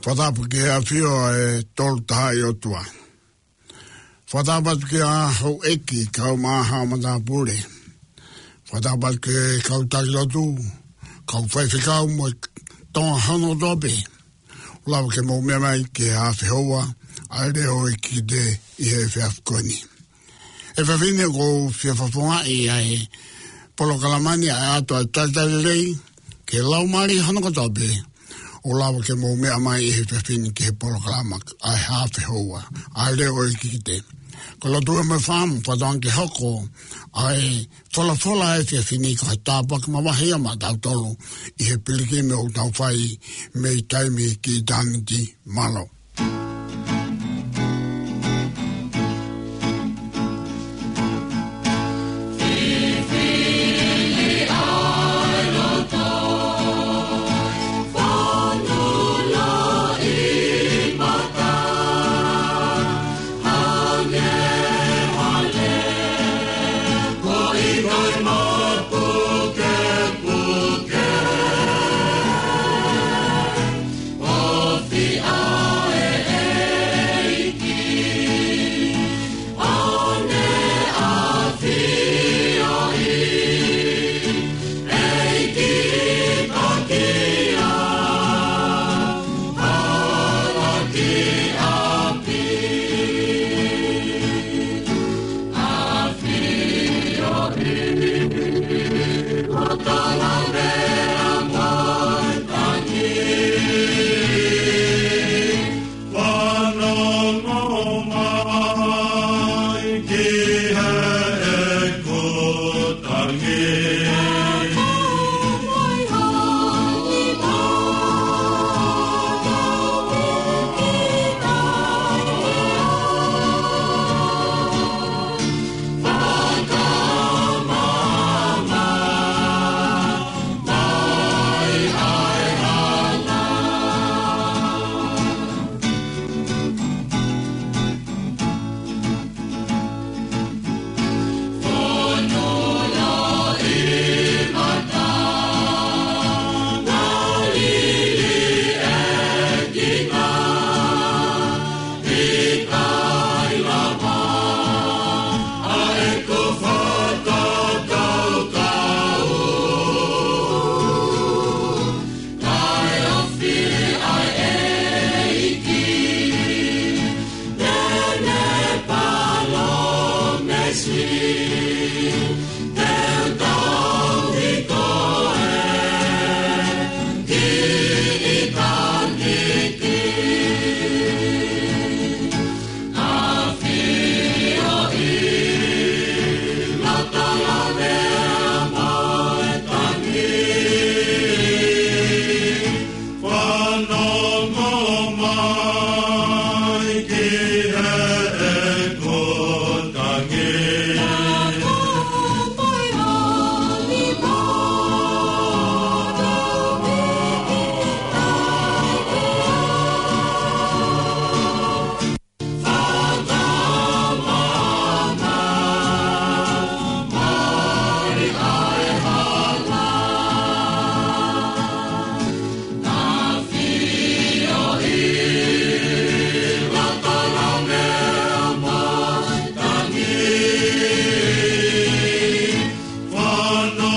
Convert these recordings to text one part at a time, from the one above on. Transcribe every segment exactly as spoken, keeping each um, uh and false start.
Fakatapu ki he ʻafio ʻa e Tolu Tahaʻi ʻOtua. Fakatapu atu ki he houʻeiki, kau maʻa haʻa matāpule. Fakatapu atu ki he kau taki lotu, kau faifekau mo e Tonga hono kotoa pē. ʻO lava ke mou meʻa mai ki he afe houa ʻa e leʻo ʻo e kikite ʻi he efiafi ko eni. Efiafi ni ʻoku ou fie fakafofongaʻi ʻa e polokalama ni ʻa e ʻAto ʻa e Talitali Lelei, ki he laumālie hono kotoa pē, ʻo lava ke mou meʻa mai ʻi he efiafi ni ki he polokalama ʻa e afe houa ʻa e leʻo ʻo e kikite. Ko e lotu ʻa e fāmili, fakatauange ke hoko ʻa e folofola ʻa e efiafi ni ko e tāpuaki mavahe ia maʻatautolu ʻi he pilikimi ʻoku tau fai mei taimi ki ʻitāniti. Mālō.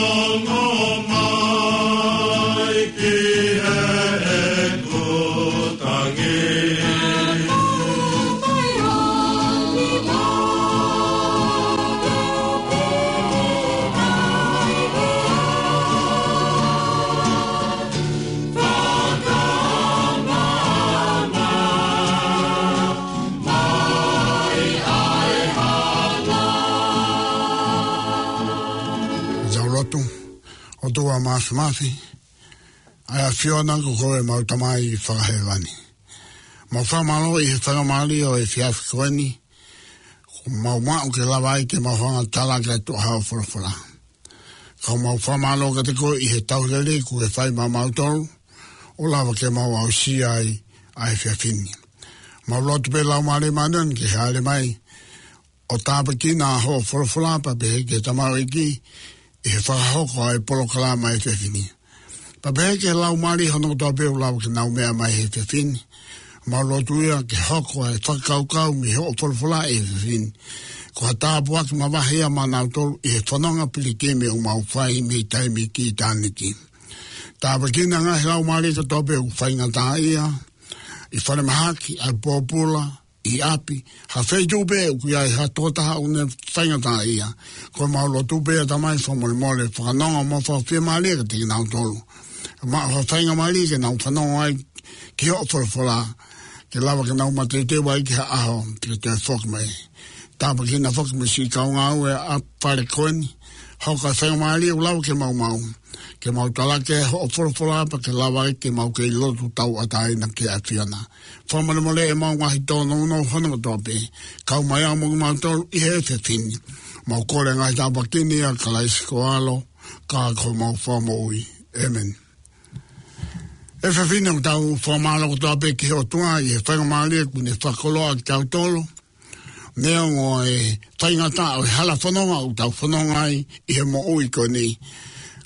Fanongo mai ki heʻeku tangi. Fakamamahi ʻa e hala. Tau lotu. ʻOtua Māfimafi, ʻa e ʻAfiona ko koe ʻemau Tamai Fakahēvani. Mau fakamālō ʻi he faingamālie ʻo e efiafi ko eni, kuo mau maʻu ke lava ai ke mau hanga ʻo tala atu haʻo folofola. Ka mau fakamālō kiate koe ʻi he tauhi lelei kuo ke fai maʻamautolu, ʻo lava ke mau aʻusia ai ʻa e efiafi ni. Mau lotu pē Laumālie Māʻoniʻoni ke hāʻele mai, ʻo tāpuekina hoʻo folofola pea pehē ki he tamaioʻeiki, ʻi he fakahoko ʻa e polokalama ʻa e efiafi ni. Pea pehē ki he laumālie hono kotoa pē ʻoku lava ke nau meʻa mai he efiafi ni. Mau lotu ia ke hoko ʻa e fakakaukau mei hoʻo folofola ʻi he efiafi ni ko ha tāpuaki mavahe ia maʻanautolu ʻi he fononga pilikimi ʻoku mau fai mei taimi ki ʻitāniti. Tāpuekina e ngaahi laumālie kotoa pē ʻoku faingataʻaʻia ʻi falemahaki, ʻapipoloa, ʻi ʻapi, ha feituʻu pē ʻoku ʻi ai ha tokotaha ʻoku ne faingataʻaʻia. Ko ʻemau lotu pē ʻa e Tamai, fakamolemole, fakanonga mo fakafiemālie kiate kinautolu. Maʻu ha faingamālie ke nau fanongo ai ki hoʻo folofola, ke lava ke nau mateuteu ai ki ha ʻaho te ke toe foki mai. Tāpuekina foki mo e siʻi kau ngāue ʻa e fale ko eni, hoko ʻa e faingamālie ʻoku lava ke maumau, ke mau talaki hoʻo folofola pea ke lava ai ke mau kei lotu tauʻatāina ki he ʻAfiona. Fakamolemole ʻemau ngaahi tōnounou hono kotoa pē, kau mai au mo kimautolu ʻi he efiafi ni. Mau kole e ngaahi tāpuaki ni ʻia Kalaisi ko ho ʻAlo, ka ko homau Fakamoʻui. ʻĒmeni. ʻE efiafi ni ʻoku tau fakamālō kotoa pē ki he ʻOtua ʻi he faingamālie kuo ne fakakoloa kitautolu. Neongo e faingataʻa ʻo e hala fononga ʻoku tau fononga ai ʻi he moʻui ko eni,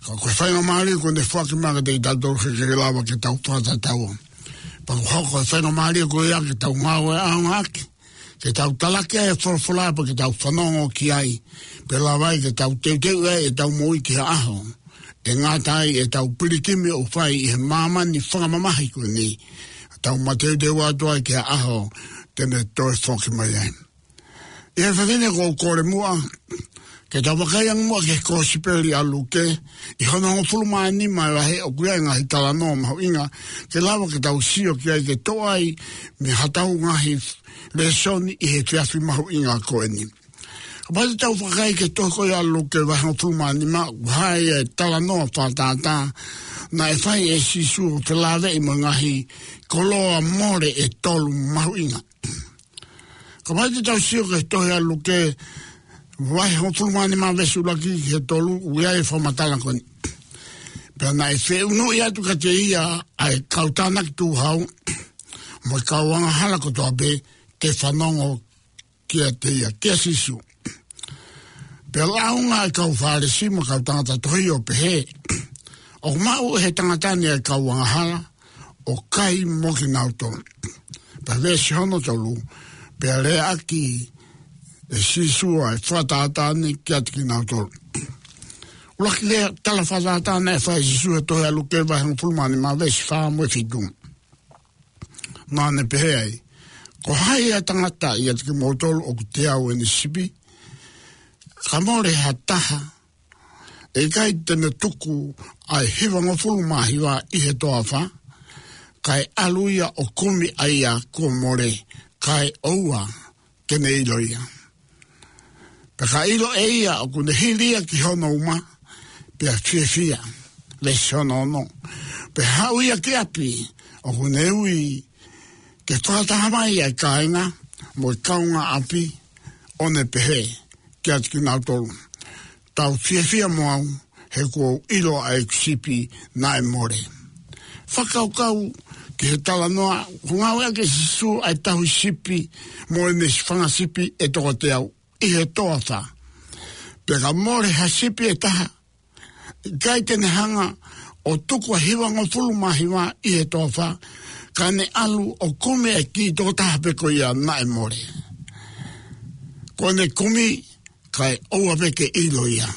ka ko e faingamālie kuo ne foaki mai kiate kitautolu ke ke lava ke tau fakatatau. Pea ʻoku hoko e faingamālie ko ia ke tau ngāue ʻaonga ʻaki, ke tau talaki ʻa e folofola pea ke tau fanongo ki ai, pea lava ai ke tau teuteu ai ʻetau moʻui ki ha ʻaho ʻe ngata ai ʻetau pilikimi ʻoku fai ʻi he māmani fakamamahi ko eni. Tau mateuteu atu ai ki ha ʻaho te ne toe foki mai ai. ʻI he efiafi ni ʻoku ou kole muʻa ke tau vakai ange muʻa ki he Kōsipeli ʻa Luke, ʻi hono hongofulu mā nima e vahe, ʻoku ʻi ai e ngaahi talanoa mahuʻinga ke lava ke tau sio ki ai ke toʻo ai mei haʻatau ngaahi lēsoni ʻi he efiafi mahuʻinga ko eni. Kapau te tau vakai ki he tohi ko ia ʻa Luke vahe hongofulu mā nima, ʻoku ʻi ai e talanoa fakatātā naʻe fai ʻe Sīsū ʻo felāveʻi mo e ngaahi koloa mole ʻe tolu mahuʻinga. Kapau te tau sio ki he tohi ʻa Luke vahe hongofulu mā nima veesi ʻuluaki ki he tolu, ʻoku ʻi ai e fakamatala ko eni. Pea naʻe feʻunuʻi atu kiate ia ʻa e kau tānaki tuʻuhau mo e kau angahala kotoa pē ke fanongo kiate ia, kia Sīsū. Pea lāunga e kau Fālesi mo e kau tangata tohi ʻo pehē, ʻoku maʻu ʻe he tangata ni ʻa e kau angahala ʻo kai mo kinautolu. Pea veesi hono tolu, pea leaʻaki ʻe Sīsū ʻa e fakatātā ni kiate kinautolu. ʻUluaki lea tala fakatātā naʻe fai ʻe Sīsū he tohi ʻa Luke vahe hongofulu mā nima veesi fā mo e fitu. Naʻa ne pehē ai, ko hai ʻa e tangata ʻiate kimoutolu ʻoku teau ʻene sipi, ka mole ha taha, ʻe ʻikai te ne tuku ʻa e hivangofulu mā hiva ʻi he toafa, kae ʻalu ia ʻo kumi ʻa ia kuo mole, kae ʻoua ke ne ʻilo ia. Pea ka ʻilo ʻe ia ʻoku ne hili ia ki hono uma, pea fiefia. Veesi hono ono. Pea haʻu ia ki ʻapi, ʻoku ne ui ke fakataha mai ʻa e kāinga mo e kaungāʻapi, ʻo ne pehē kiate kinautolu, tau fiefia mo au, he kuo u ʻilo ʻa ʻeku sipi naʻe mole. Fakakaukau ki he talanoa, ʻoku ngāueʻaki ʻe Sīsū ʻa e tauhi sipi mo ʻene fanga sipi ʻe toko teau ʻi he toafa. Pea ka mole ha sipi ʻe taha, ʻikai te ne hanga ʻo tuku ʻa e hivangofulu mā hiva ʻi he toafa, ka ne ʻalu ʻo kumi e kiʻi tokotaha pē ko ia naʻe mole. Ko ʻene kumi kae ʻoua pē ke ʻilo ia.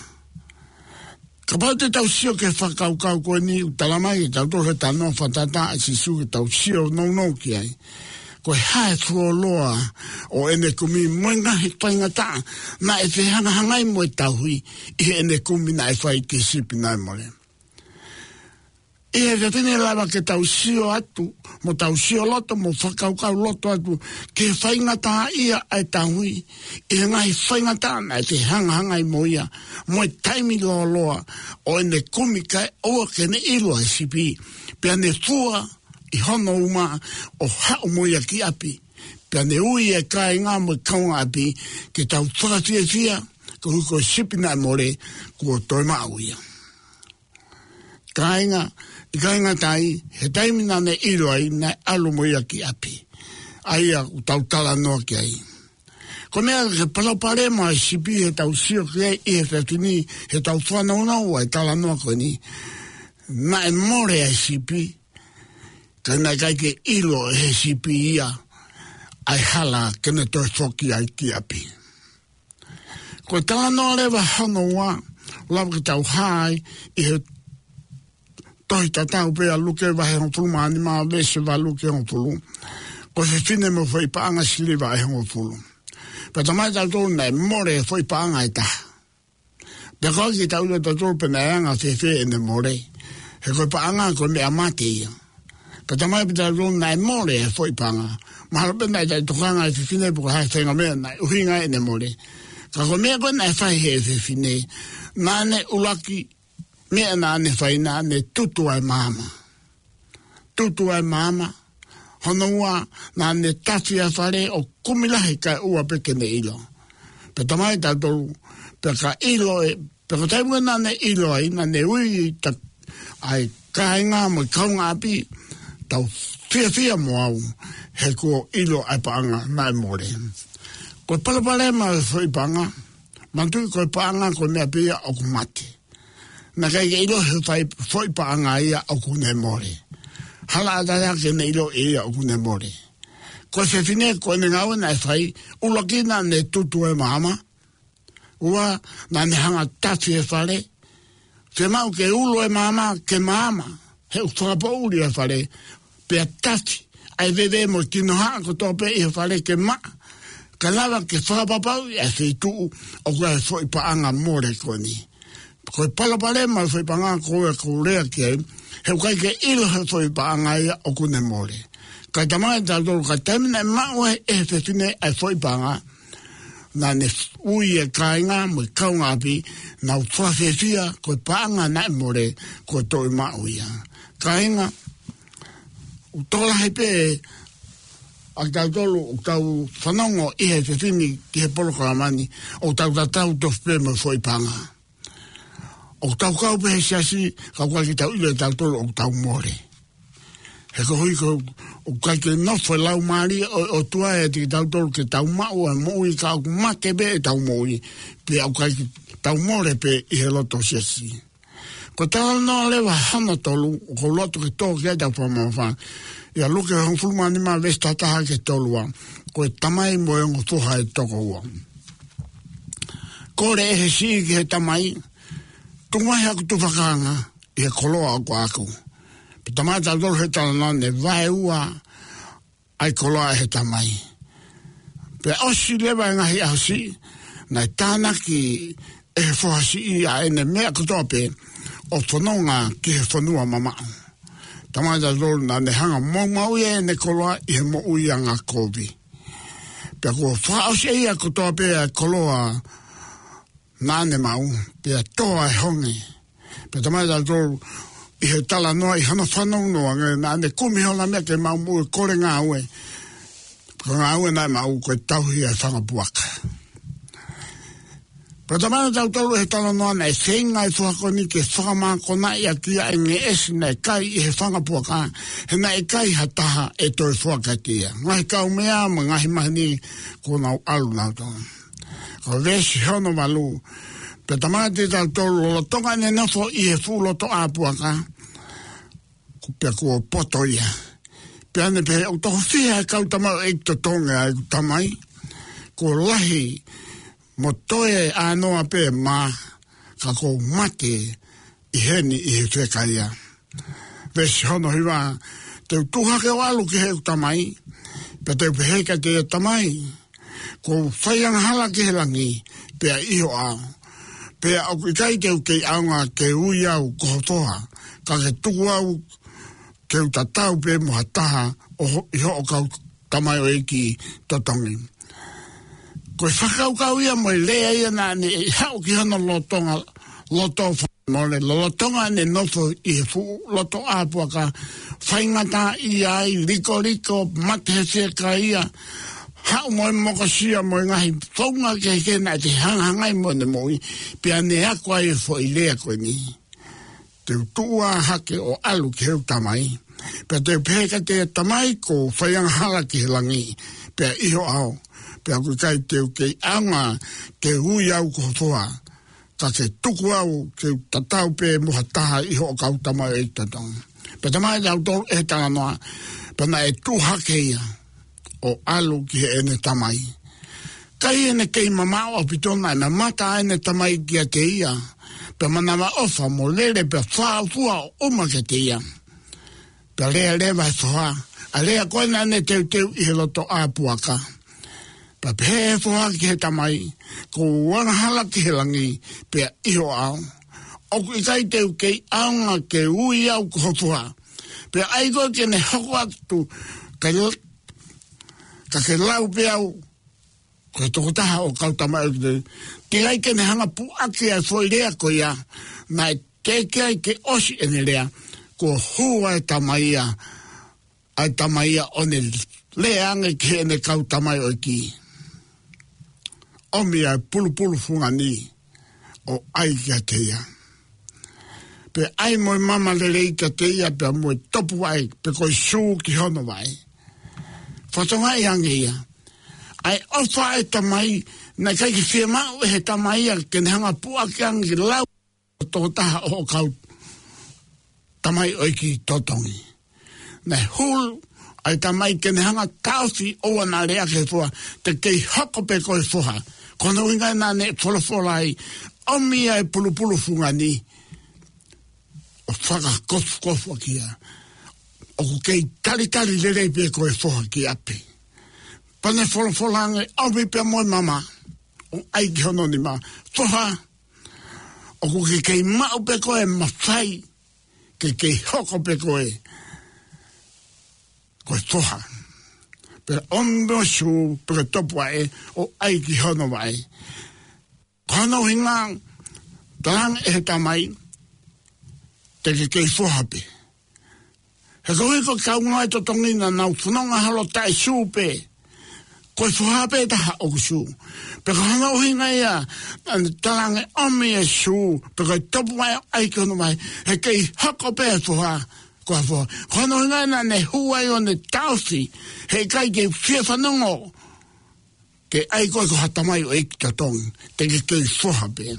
Kapau te tau sio ki he fakakaukau ko eni, ʻoku talamai ʻe tautolu he talanoa fakatātā ʻa Sīsū ke tau sio nounou ki ai, ko e hā e fuoloa ʻo ʻene kumi mo e ngaahi faingataʻa naʻe fehangahangai mo e tauhi ʻi heʻene kumi naʻe fai ki he sipi naʻe mole. ʻI he efiafi ni ʻe lava ke tau sio atu, mo tau sio loto, mo fakakaukau loto atu ki he faingataʻaʻia ʻa e tauhi ʻi he ngaahi faingataʻa naʻe fehangahangai mo ia, mo e taimi lōloa ʻo ʻene kumi kae ʻoua ke ne ʻilo ʻa e sipi, pea ne fua ʻi hono uma ʻo haʻu mo ia ki ʻapi, pea ne ui e kāinga mo e kaungāʻapi ke tau fakafiefia, koeʻuhi ko e sipi naʻe mole kuo toe maʻu ia. Kāinga, ʻikai ngata ai, he taimi naʻa ne ʻilo ai, naʻe ʻalu mo ia ki ʻapi. ʻA ia ʻoku tau talanoa ki ai. Ko e meʻa ke palopalema ʻa e sipi heʻetau sio ki ai ʻi he efiafi ni, heʻetau fanongonongo ʻa e talanoa ko eni. Naʻe mole ʻa e sipi, Ka naʻe ʻikai ke ʻilo ʻe he sipi ia ʻa e hala ke ne toe foki ai ki ʻapi. Ko e talanoa leva hono ua, lava ke tau hā ai ʻi he tohi tatau pē ʻa Luke vahe hongofulu mā nima veesi valu ki he hongofulu. Ko e fefine mo e foʻi paʻanga siliva ʻe hongofulu. Pea talamai kiate kitautolu naʻe mole e foʻi paʻanga ʻe taha. Pea ʻoku ʻikai ke tau ʻilo ʻe kitautolu pe naʻe anga fēfē ʻene mole. He ko e paʻanga ko e meʻa mate ia. Pea talamai kiate kitautolu naʻe mole e foʻi paʻanga. Mahalo pē naʻe taʻetokanga e fefine pe ko e hā e faʻahinga meʻa naʻe ʻuhinga ai ʻene mole. Ka ko e meʻa ko ē naʻe fai ʻe he fefine, naʻa ne ʻuluaki meʻa naʻa ne fai, naʻa ne tutu ʻa e maama. Tutu ʻa e maama. Hono ua, naʻa ne tafi ʻa e fale ʻo kumi lahi kae ʻoua pē ke ne ʻilo. Pea talamai kiate kitautolu, pea ka ʻilo ē, pea ko e taimi ko ē naʻa ne ʻilo ai, naʻa ne ui ʻa e kāinga mo e kaungāʻapi, tau fiefia mo au, he kuo ʻilo ʻa e paʻanga naʻe mole. Ko e palopalema ʻo e foʻi paʻanga, manatuʻi ko e paʻanga ko e meʻa pē ia ʻoku mate. Naʻe ʻikai ke ʻilo ʻe he foʻi paʻanga ia ʻoku ne mole. Hala ʻatā ke ne ʻilo ʻe ia ʻoku ne mole. Ko e fefine ko ʻene ngāue naʻe fai, ʻuluaki naʻa ne tutu e maama. Ua, naʻa ne hanga tafi e fale. Fiemaʻu ke ulo e maama, ke maama. He ʻoku fakapoʻuli e fale. Pea tafi ʻa e veve mo e kinohaʻa kotoa pē ʻi he fale ke maʻa. Ka lava ke fakapapauʻi ʻa e feituʻu ʻoku ʻi ai e foʻi paʻanga mole ko eni. Ko e palopalema ʻo e foʻi paʻanga ko ē ʻoku ou lea ki ai. He ʻoku ʻikai ke ʻilo ʻe he foʻi paʻanga ia ʻoku ne mole. Ka talamai kiate kitautolu ka taimi naʻe maʻu ai ʻe he fefine ʻa e foʻi paʻanga, naʻa ne ui e kāinga mo e kaungāʻapi, nau fakafiefia ko e paʻanga naʻe mole kuo toe maʻu ia. Kāinga, ʻoku tokolahi pē ʻa kitautolu ʻoku tau fanongo ʻi he fefine ki he polokalama ni, ʻoku tau tatau tofu pē mo e foʻi paʻanga. ʻOku tau kau pē he siasi, ka ʻoku ʻikai ke tau ʻilo ʻe tautolu ʻoku tau mole. He koeʻuhi ko ē ʻoku ʻikai ke nofo e Laumālie ʻo, ʻOtua ʻiate kitautolu ke tau maʻu e moʻui ka ʻoku mate pē ʻetau moʻui. Pea ʻoku ʻikai ke tau mole pē ʻi he loto siasi. Ko e talanoa leva hono tolu, ʻoku ou loto ke tō ki ai ʻetau fakamamafa. ʻIa Luke hongofulu mā nima veesi taha taha ki he tolu ua. Ko e tamai mo e ongo foha ʻe toko ua. Kole ʻe he siʻi ki he tamai, tuku mai haku tufakanga ʻi he koloa ʻoku ʻaʻaku. Pea talamai kiate kitautolu he talanoa naʻe vaeua ʻa e koloa ʻe he tamai. Pea ʻosi leva e ngaahi ʻaho siʻi, naʻe tānaki ʻe he foha siʻi ʻa ʻene meʻa kotoa pē ʻo fononga ki he fonua mamaʻo. Talamai kiate kitautolu naʻa ne hanga ʻo maumauʻi ʻene koloa ʻi he moʻui angakovi. Pea kuo fakaʻosi ʻe ia kotoa pē ʻa e koloa naʻa ne maʻu, pea tō ʻa e honge. Pea talamai kiate kitautolu ʻi he talanoa ʻi hono fanongo ange naʻa ne kumi holo meʻa ke maʻu moʻui, kole ngāue. Ko e ngāue naʻe maʻu ko e tauhi ʻa e fanga puaka. Pea talamai kiate kitautolu ʻi he talanoa naʻe feinga e foha ko eni ke fakamākonaʻi ʻaki ʻa e ngeʻesi naʻe kai ʻi he fanga puaka, he naʻe ʻikai ha taha ʻe toe foaki kiate ia. Ngaahi kaumeʻa mo e ngaahi maheni kuo nau ʻalu nautolu. Ko e veesi hono valu, pea talamai kiate kitautolu lolotonga ʻene nofo ʻi he fuʻu lotoʻā puaka, pea kuo poto ia. Pea ne pehē, ʻoku toko fiha e kau tamaioʻeiki totongi ʻa ʻeku tamai? Kuo lahi mo toe ʻānoa pē mā, ka kuo u mate ʻi heni ʻi he fiekaia. Veesi hono hiva, te u tuʻu hake ʻo ʻalu ki heʻeku tamai, pea te u pehē kiate ia, tamai, kuo u fai angahala ki he langi, pea ʻi ho ʻao. Pea ʻoku ʻikai te u kei ʻaonga ke ui au ko ho foha, ka ke tuku au ke u tatau pē mo ha taha ʻo ho-, ʻi hoʻo kau tamaioʻeiki totongi. Ko e fakakaukau ia mo e lea ia naʻa ne haʻu ki hono lolotonga, loto fa-, mole, lolotonga ʻene nofo ʻi he fuʻu lotoʻā puaka, faingataʻaʻia ai, likoliko, mate he fiekaia, haʻu mo e mokosia mo e ngaahi founga kehekehe naʻe hangahangai mo ʻene moʻui, pea ne ako ai e foʻi lea ko eni. Te u tuʻu ā hake ʻo ʻalu ki heʻeku tamai, pea te u pehē kiate ia, tamai, kuo u fai angahala ki he langi, pea ʻi ho ʻao, pea ʻoku ʻikai te u kei ʻaonga ke ui au ko ho foha, ka ke tuku au ke u tatau pē mo ha taha ʻi hoʻo kau tamaioʻeiki totongi. Pea talamai ʻe he talanoa, pea naʻe tuʻu hake ia ʻo ʻalu ki heʻene tamai. Ka ʻi heʻene kei mamaʻo ʻaupito, naʻe mamata ʻene tamai kiate ia, pea manavaʻofa mo lele pea fāʻofua ʻo ʻuma kiate ia. Pea lea leva ʻa e foha, ʻa e lea ko ē naʻa ne teuteu ʻi he loto ʻā puaka. Pea pehē ʻe he foha ki he tamai, Kuo u angahala ki he langi, pea ʻi ho ʻao. ʻOku ʻikai te u kei ʻaonga ke ui au ko ho foha. Pea ʻai koe ke ne hoko atu, ka, ka ke lau pē au ko e tokotaha ʻo e kau tamaioʻeiki. Teʻeki ai ke ne hanga ʻo puʻaki ʻa e foʻi lea ko ia, naʻe teʻeki ai ke ʻosi ʻene lea, kuo hū ʻa e tamai ia, ʻa e tamai ia ʻo ne lea ange ki heʻene kau tamaioʻeiki, ʻOmi ʻa e pulupulu fungani ʻo ʻai kiate ia. Pea ʻai mo e mama lelei kiate ia pea mo e topuvaʻe pe ko e sū ki hono vaʻe. Fakatokangaʻi ange ia ʻa e ʻofa ʻa e tamai, naʻe ʻikai ke fiemaʻu ʻe he tamai ia ke ne hanga ʻo puʻaki ange ke lau tokotaha ʻo e kau tamaioʻeiki totongi. Naʻe hulu ʻa e tamai ke ne hanga ʻo taʻofi ʻo ne lea ki he foha, Te ke kei hoko pē ko e foha. Ko hono ʻuhinga naʻa ne folofola ai, ʻOmi ʻa e pulupulu fungani ʻo fakakofukofu ʻaki ia. ʻOku kei talitali lelei pē ko e foha ki ʻapi. Pea ne folofola ange, ʻOmi pē mo e mama ʻo ʻai ki hono nima. Foha, ʻoku ke kei maʻu pē ko e mafai ke kei hoko pē ko e, ko e foha. Pea ʻomi mo e sū pe ko e topuvaʻe ʻo ʻai ki hono vaʻe. Ko hono ʻuhinga, talaange ʻe he tamai, Te ke kei foha pē. He koeʻuhi ko e kau ngāue totongi naʻa nau fononga holo taʻe sū pē. Ko e foha pē taha ʻoku sū. Pea ko hono ʻuhinga ia, naʻa ne talaange, ʻOmi e sū pe ko e topuvaʻe ʻo ʻai ki hono vaʻe. He kei hoko pē e foha ko e foha. Ko hono ʻuhinga naʻa ne hū ai ʻo ne taʻofi, heʻikai ke fie fanongo ke ʻai koe ko ha tamaioʻeiki totongi, te ke kei foha pē.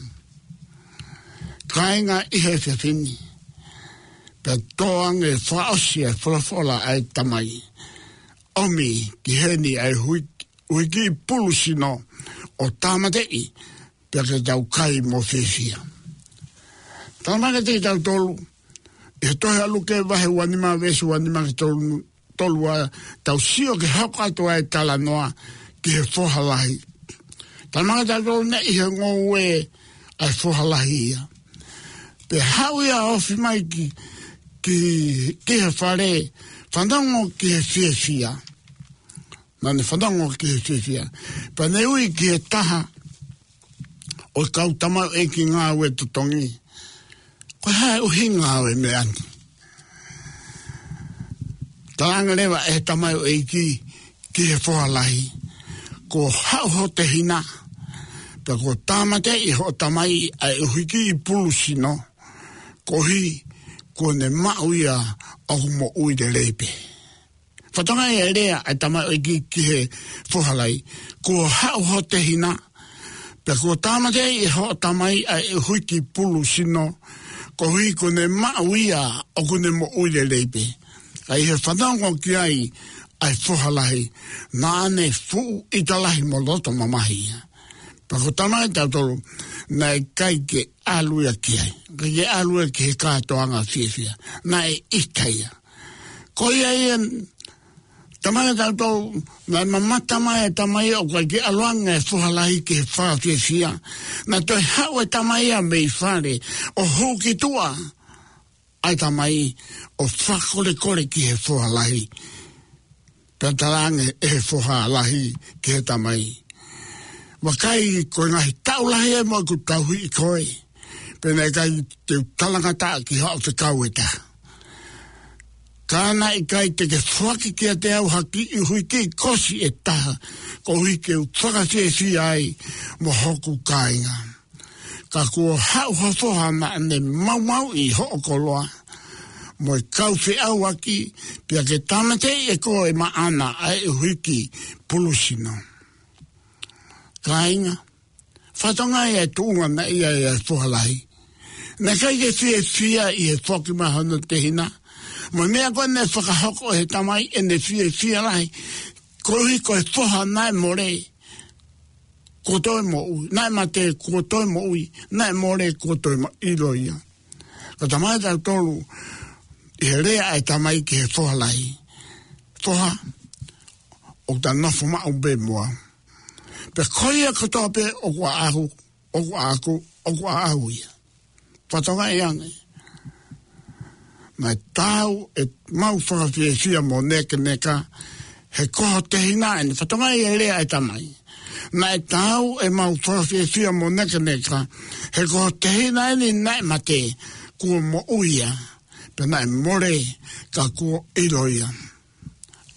Kāinga, ʻi he efiafi ni, pea tō ange fakaʻosi e folofola ʻa e tamai, ʻOmi ki heni ʻa e hui-, ʻuhiki pulu sino ʻo tāmateʻi, pea ke tau kai mo fiefia. Talamai kiate kitautolu ʻi he tohi ʻa Luke vahe uanima veesi uanima ki he tolu, tolu ua, tau sio ki he hoko atu ʻa e talanoa ki he foha lahi. Talamai kiate kitautolu naʻe ʻi he ngoue ʻa e foha lahi ia. Pea haʻu ia ʻo ofi mai ki, ki, ki he fale, fanongo ki he fiefia. Naʻa ne fanongo ki he fiefia. Pea ne ui ki he taha ʻo e kau tamaioʻeiki ngāue totongi, Ko e hā e ʻuhinga ʻo e meʻa ni? Talaange leva ʻe he tamaioʻeiki ki he foha lahi, Kuo haʻu ho tehina, pea kuo tāmateʻi ʻe hoʻo tamai ʻa e ʻuhiki pulu sino, koeʻuhi kuo ne maʻu ia ʻoku moʻui lelei pē. Fakatokangaʻi e lea ʻa e tamaioʻeiki ki he foha lahi, Kuo haʻu ho tehina, pea kuo tāmateʻi ʻe hoʻo tamai ʻa e ʻuhiki pulu sino, koeʻuhi kuo ne maʻu ia ʻoku ne moʻui lelei pē. Ka ʻi he fanongo ki ai ʻa e foha lahi, naʻa ne fuʻu ʻita lahi mo loto mamahi ia. Pea ko e talamai kiate kitautolu, naʻe ʻikai ke ʻalu ia ki ai. ʻIkai ke ʻalu ia ki he kātoanga fiefia. Naʻe ʻita ia. Ko ia ia, talamai kiate kitautolu, naʻe mamata mai e tamai ʻoku ʻikai ke ʻalu ange e foha lahi ki he fakafiefia. Naʻe toe haʻu e tamai ia mei fale, ʻo hū ki tuʻa ʻa e tamai ʻo fakakolekole ki he foha lahi. Pea talaange ʻe he foha lahi ki he tamai, Vakai, ko e ngaahi taʻu lahi eni ʻoku ou tauhi ʻi koe, pea naʻe ʻikai te u talangataʻa ki haʻo fekau ʻe taha. Ka naʻe ʻikai te ke foaki kiate au ha kiʻi ʻuhiki kosi ʻe taha, koeʻuhi ke u fakafiefia ai mo hoku kāinga. Ka kuo haʻu ha foha naʻa ne maumauʻi hoʻo koloa mo e kau feʻauaki, pea ke tāmateʻi ʻe koe maʻana ʻa e ʻuhiki pulu sino. Kāinga, fakatokangaʻi e tuʻunga naʻe ʻi ai e foha lahi. Naʻe ʻikai ke fiefia ʻi he foaki mai hono tehina. Mo e meʻa ko ē naʻe fakahoko ʻe he Tamai ʻene fiefia lahi, koeʻuhi ko e foha naʻe mole, kuo toe moʻui, naʻe mate, kuo toe moʻui, naʻe mole, kuo toe ma-, ʻilo ia. Ka talamai ʻe tautolu, ʻi he lea ʻa e Tamai ki he foha lahi: Foha, ʻoku ta nofo maʻu pē mo au. Pea ko ia kotoa pē ʻoku ʻaʻaku, ʻoku ʻaʻaku, ʻoku ʻaʻau ia. Fakatokangaʻi ange. Naʻe taau ʻemau fakafiefia mo nekeneka, he ko ho tehina eni. Fakatokangaʻi e lea ʻa e Tamai. Naʻe taau ʻemau fakafiefia mo nekeneka, he ko ho tehina eni naʻe mate, kuo moʻui ia, pea naʻe mole, ka kuo ʻilo ia.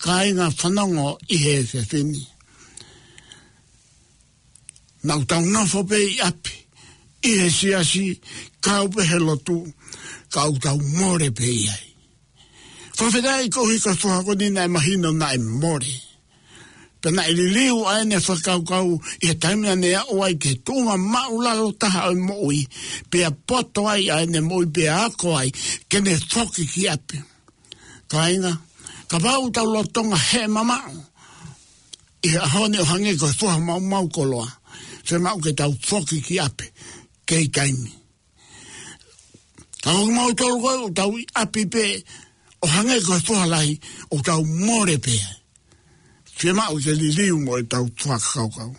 Kāinga, fanongo ʻi he efiafi ni. Naʻa tau nofo pē ʻi ʻapi, ʻi he siasi, kau pē he lotu, ka ʻoku tau mole pē ʻi ai. Fakafetaʻi koeʻuhi ko e foha ko eni naʻe mahino naʻe mole. Pea naʻe liliu ʻa ʻene fakakaukau ʻi he taimi naʻa ne aʻu ai ki he tuʻunga māʻulalo taha ʻo e moʻui, pea poto ai ʻa ʻene moʻui, pea ako ai ke ne foki ki ʻapi. Kāinga, kapau ʻoku tau lolotonga hē mamaʻo ʻi he ʻaho ni ʻo hangē ko e foha maumau koloa, fiemaʻu ke tau foki ki ʻapi, kei taimi. Ka ko kimautolu ko ē ʻoku tau ʻi ʻapi pē ʻo hangē ko e foha lahi, ʻoku tau mole pē, fiemaʻu ke liliu mo ʻetau fakakaukau.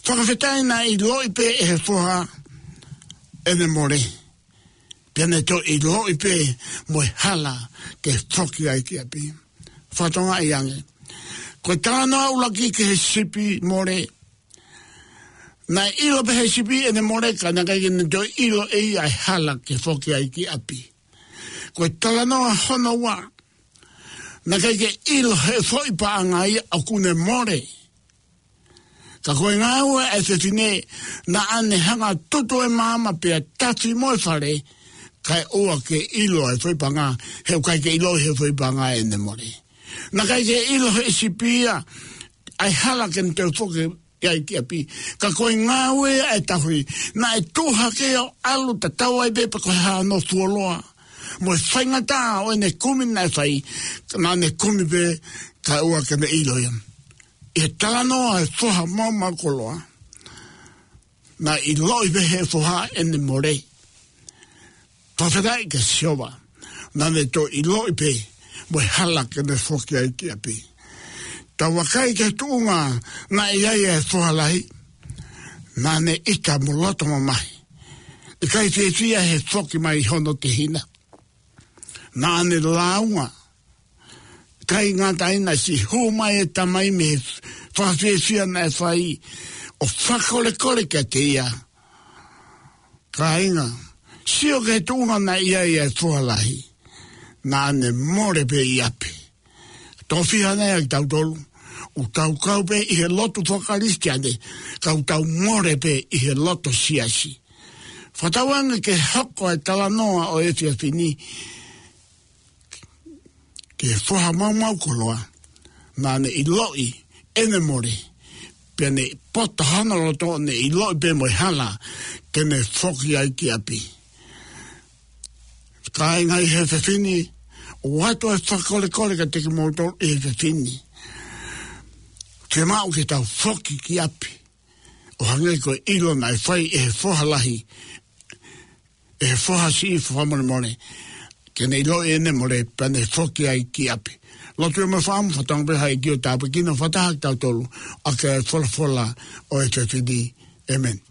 Fakafetaʻi naʻe ʻiloʻi pē ʻe he foha ʻene mole, pea ne toe ʻiloʻi pē mo e hala ke foki ai ki ʻapi. Fakatokangaʻi ange. Ko e talanoa ʻuluaki ki he sipi mole. Naʻe ʻilo pē ʻe he sipi ʻene mole, ka naʻe ʻikai ke ne toe ʻilo ʻe ia e hala ke foki ai ki ʻapi. Ko e talanoa hono ua. Naʻe ʻikai ke ʻilo ʻe he foʻi paʻanga ia ʻoku ne mole. Ka ko e ngāue ʻa e fefine, naʻa ne hanga ʻo tutu e maama pea tafi mo e fale, kae ʻoua ke ʻilo ʻe he foʻi paʻanga, he ʻoku ʻikai ke ʻilo ʻe he foʻi paʻanga ʻene mole. Naʻe ʻikai ke ʻilo ʻe he sipi ia ʻa e hala ke ne toe foki ai ki ʻapi. Ka ko e ngāue ʻa e tauhi, naʻe tuʻu hake ʻo ʻalu tatau ai pē pe ko e hā hono fuoloa mo e faingataʻa ʻo ʻene kumi naʻe fai, naʻa ne kumi pē kae ʻoua ke ne ʻilo ia. ʻI he talanoa ʻa e foha maumau koloa, naʻe ʻiloʻi pē ʻe he foha ʻene mole. Fakafetaʻi kia Sihova, naʻa ne toe ʻiloʻi pē mo e hala ke ne foki ai ki ʻapi. Tau vakai ki he tuʻunga naʻe ʻi ai ʻa e foha lahi, naʻa ne ʻita mo loto mamahi. ʻIkai fiefia he foki mai hono tehina. Naʻa ne lāunga. ʻIkai ngata ai, naʻe siʻi hū mai e tamai mei he fakafiefia naʻe fai ʻo fakakolekole kiate ia. Kāinga, sio ki he tuʻunga naʻe ʻi ai ʻa e foha lahi, naʻa ne mole pē ʻi ʻapi. Tofiha nai ʻa kitautolu, ʻoku tau kau pē ʻi he lotu fakakalisitiane, ka ʻoku tau mole pē ʻi he loto siasi. Fakatauange ke hoko e talanoa ʻo e efiafi ni ki he foha maumau koloa, naʻa ne ʻiloʻi ʻene mole, pea ne poto hono loto, ne ʻiloʻi pē mo e hala ke ne foki ai ki ʻapi. Kāinga, ʻi he efiafi ni, ʻoatu e fakakolekole kiate kimoutolu ʻi he efiafi ni. Fiemaʻu ke tau foki ki ʻapi, ʻo hangē ko e ʻilo naʻe fai ʻe he foha lahi, ʻe he foha siʻi fakamolemole, ke ne ʻiloʻi ʻene mole pea ne foki ai ki ʻapi. Lotu ē mo e fakaʻamu. Fakatauange pē ha ʻEiki ʻo tāpuekina fakataha kitautolu ʻaki e folofola ʻo e efiafi ni. ʻĒmeni.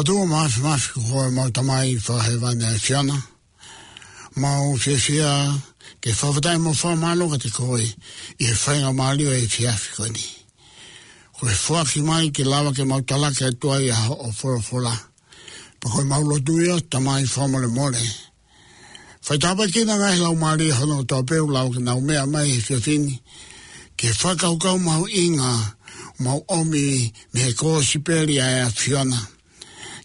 ʻOtua mafimafi, ko koe ʻemau Tamai fakahēvani ʻa e ʻAfiona. Mau fiefia ke fakafetaʻi mo fakamālō kiate koe ʻi he faingamālie ʻo e efiafi ko eni. Ko e foaki mai ke lava ke mau talaki atu ai ʻa hoʻo folofola. Pea ko ʻemau lotu ia, Tamai, fakamolemole. Fai tāpuekina e ngaahi laumālie hono kotoa pē ʻoku lava ke nau meʻa mai he efiafi ni, ke fakakaukau mahuʻinga ʻoku mau ʻomi mei he kōsipeli ʻa e ʻAfiona,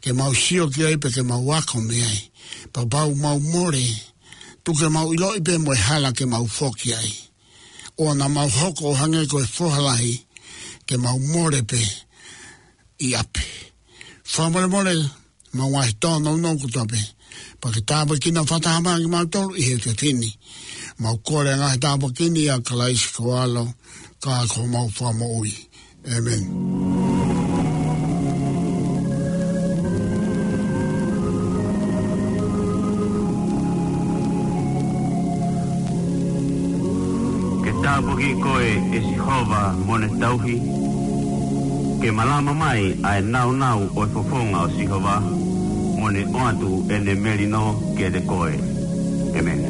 ke mau sio ki ai pea ke mau ako mei ai. Pea kapau ʻoku mau mole, tuku ke mau ʻiloʻi pē mo e hala ke mau foki ai. ʻOua naʻa mau hoko ʻo hangē ko e foha lahi, ke mau mole pē ʻi ʻapi. Fakamolemole ʻemau ngaahi tōnounou kotoa pē. Pea ke tāpuekina fakataha mai kimautolu ʻi he efiafi ni. Mau kole e ngaahi tāpuaki ni ʻia Kalaisi ko ho ʻAlo, ka ko homau Fakamoʻui. ʻĒmeni. Ke tāpuaki koe, ʻe Sihova, mo ne tauhi. Ke malama mai ʻa e nāunau ʻo e fofonga ʻo Sihova, mo ne ʻoatu ʻene melino kiate koe. ʻĒmeni.